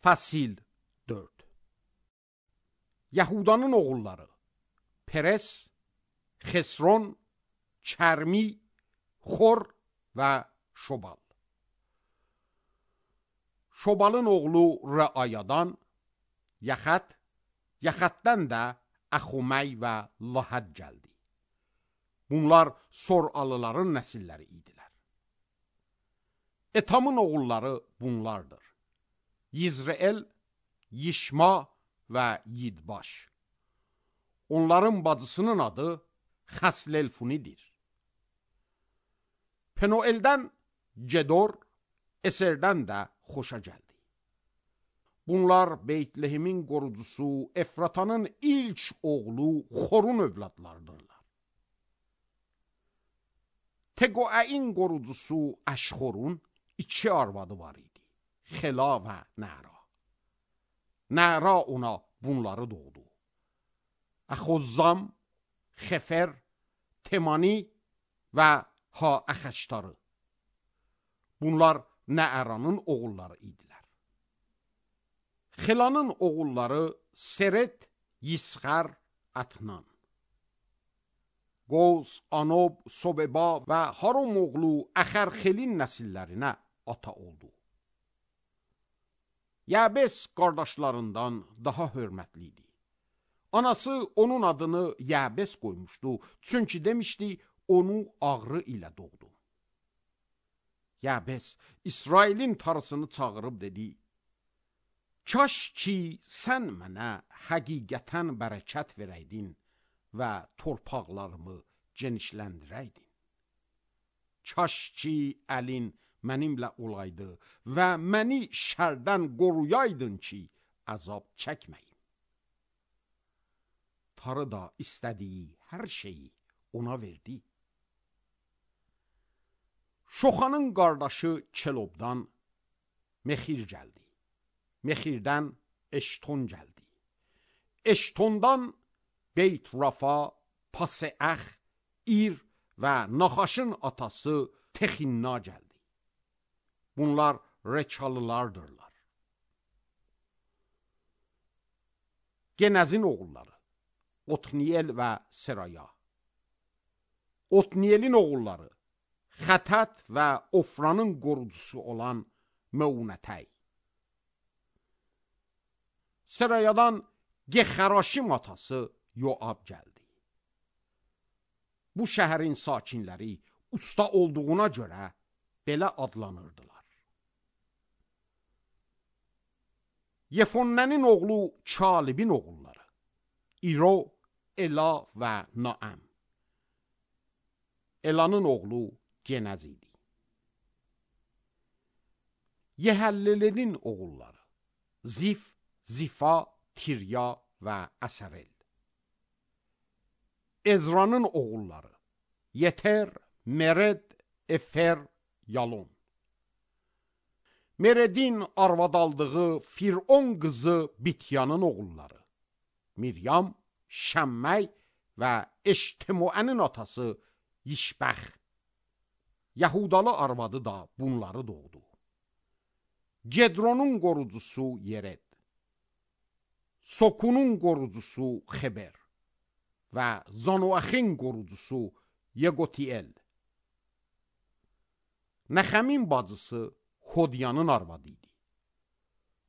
Fəsil 4. Yahudanın oğulları Peres, Xesron, Kərmi, Xor və Şobal. Şobalın oğlu Rəayadan Yaxat, Yaxatdan da Əxuməy və Lahad gəldi. Bunlar Soralıların nəsilləri idilər. Etamın oğulları bunlardır: Yizreel, Yişma və Yidbaş. Onların bacısının adı Xəslelfunidir. Penueldən Gedor, Eserdən də Xoşa gəldi. Bunlar Beytlehemin qorucusu Efratanın ilk oğlu Xorun övladlarıdırlar. Teqoəin qorucusu Əşxorun 2 arvadı var idi: Xela və Nəra. Nəra ona bunları doğdu: Əxozzam, Xefer, Temani və Ha-Əxəştarı. Bunlar Nəəranın oğulları idilər. Xelanın oğulları Seret, Yisxər, Ətnan. Qoz, Anob, Sobeba və Harom oğlu Əxərxelin nəsillərinə ata oldu. Yəbəs qardaşlarından daha hörmətli idi. Anası onun adını Yəbəs qoymuşdu, çünki demişdi, onu ağrı ilə doğdu. Yəbəs İsrailin tarısını çağırıb dedi: Kaş ki sən mənə həqiqətən bərəkət verəydin və torpaqlarımı genişləndirəydin. Kaş ki əlin mənimlə olaydı və məni şərdən qoruyaydın ki əzab çəkməyim. Tarı da istədiyi hər şeyi ona verdi. Şoxanın qardaşı Kelobdan Mexir gəldi. Mexirdən Eşton gəldi. Eştondan Beyt Rafa, Paseəx, İr və Naxaşın atası Texinna gəldi. Bunlar Rekalılardırlar. Genəzin oğulları Otniyel və Seraya. Otniyelin oğulları Xətət və Ofranın qorucusu olan Məunətəy. Serayadan Gexəraşim atası Yoab gəldi. Bu şəhərin sakinləri usta olduğuna görə belə adlanırdılar. Yefonnənin oğlu Kalibin oğulları İro, Ela və Naəm. Elanın oğlu Genəz idi. Yehəllelenin oğulları Zif, Zifa, Tirya və Əsərel. Ezranın oğulları Yeter, Mered, Efer, Yalon. Meredin arvad aldığı Firon qızı Bityanın oğulları Miryam, Şəmməy və Eştemoənin atası Yişbəx. Yahudalı arvadı da bunları doğdu: Gedronun qorucusu Yered, Sokunun qorucusu Xeber və Zanoaxin qorucusu Yeqotiel. Nəxəmin bacısı Hodyanın arvadı idi.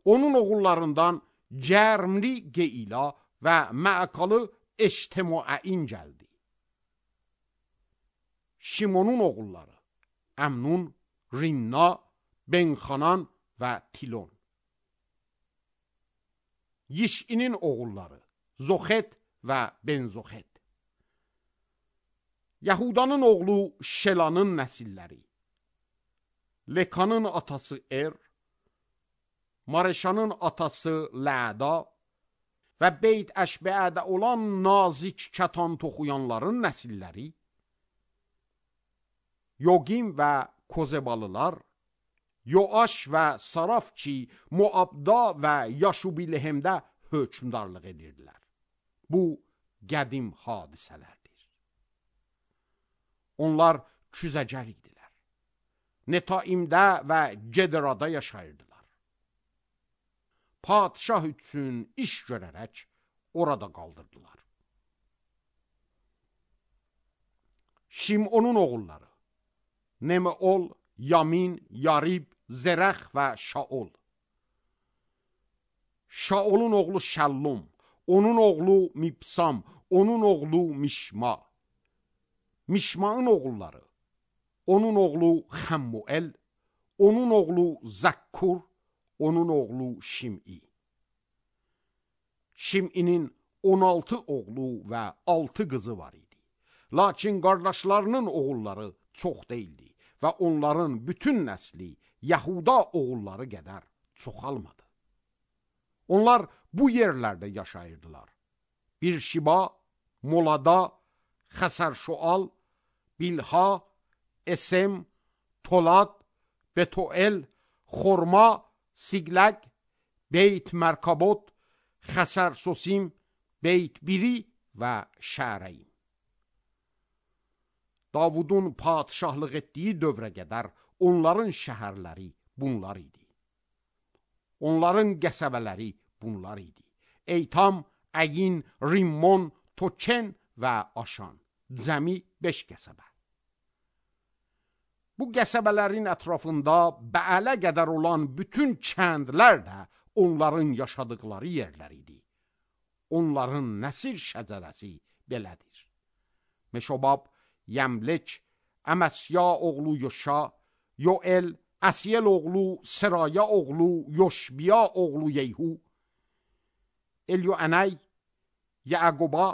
Onun oğullarından Cərmli Geila və Məəkalı Eştemoəin gəldi. Şimonun oğulları Əmnun, Rinna, Benxanan və Tilon. Yişinin oğulları Zoxet və Benzoxet. Yahudanın oğlu Şelanın nəsilləri Lekanın atası Er, Mareşanın atası Ləda və Beyt Əşbəədə olan nazik kətan toxuyanların nəsilləri Yogim və Kozebalılar, Yoaş və Saraf ki Moabda və Yaşubilehemdə hökmdarlıq edirdilər. Bu qədim hadisələrdir. Onlar küzəcər idilər. Netaimdə və Gederada yaşayırdılar. padişah üçün iş görərək orada qaldırdılar. Şimonun oğulları Nemeol, Yamin, Yarib, Zerəx və Şaol. Şaolun oğlu Şəllum, onun oğlu Mibsam, onun oğlu Mişma. Mişmanın oğulları, onun oğlu Xəmmuel, onun oğlu Zəkkur, onun oğlu Şim'i. Şim'inin 16 oğlu və 6 qızı var idi. Lakin qardaşlarının oğulları çox deyildi və onların bütün nəsli Yahuda oğulları qədər çoxalmadı. Onlar bu yerlərdə yaşayırdılar. Birşiba, Molada, Xəsərşual, Bilha, Esem, Tolat, Betuel, Xorma, Sigləq, Beyt Mərkabot, Xəsərsosim, Beyt Biri və Şərəyim. Davudun padişahlıq etdiyi dövrə qədər onların şəhərləri bunlar idi. Onların qəsəbələri bunlar idi. Eytam, Əyin, Rimmon, Token və Aşan. Cəmi 5 qəsəbə. Bu qəsəbələrin ətrafında Bəələ qədər olan bütün kəndlər də onların yaşadıkları yerlər idi. Onların nəsil şəcərəsi belədir. Meşobab, Yəmlek, Əməsya oğlu Yoşa, Yoel, Əsiyel oğlu Seraya oğlu Yoşbiya oğlu Yeyhu, Elyoənəy, Yəqoba,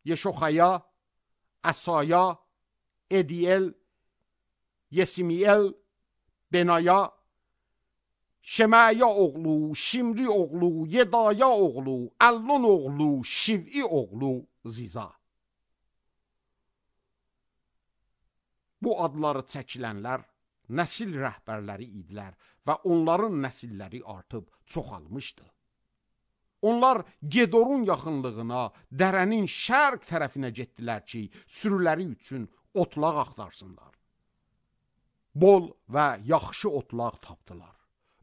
Yeşoxaya, Əsaya, Ediyel, Yesimiyel, Benaya, Şemaya oğlu, Şimri oğlu, Yedaya oğlu, Əllon oğlu, Şiv'i oğlu Ziza. Bu adları çəkilənlər nəsil rəhbərləri idilər və onların nəsilləri artıb çoxalmışdı. Onlar Gedorun yaxınlığına, dərənin şərq tərəfinə getdilər ki, sürüləri üçün otlaq axtarsınlar. Bol və yaxşı otlaq tapdılar.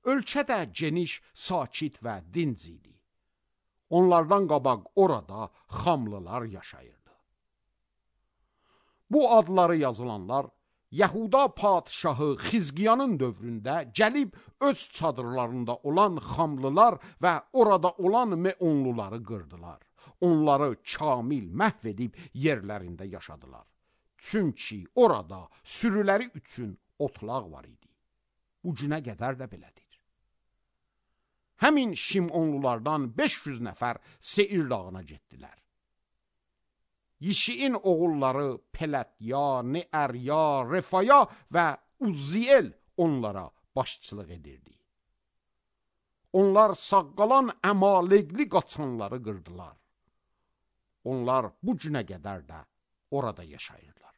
Ölkə də geniş, sakit və dinc idi. Onlardan qabaq orada xamlılar yaşayırdı. Bu adları yazılanlar Yahuda padişahı Xizqiyanın dövründə gəlib öz çadırlarında olan xamlılar və orada olan Meonluları qırdılar. Onları kamil məhv edib yerlərində yaşadılar. Çünki orada sürüləri üçün otlaq var idi. Bu günə qədər də belədir. Həmin Şimonlulardan 500 nəfər Seir dağına getdilər. Yişiin oğulları Pelətya, Neərya, Refaya və Uzziyel onlara başçılıq edirdi. Onlar saqqalan əmalegli qaçanları qırdılar. Onlar bu günə qədər də orada yaşayırlar.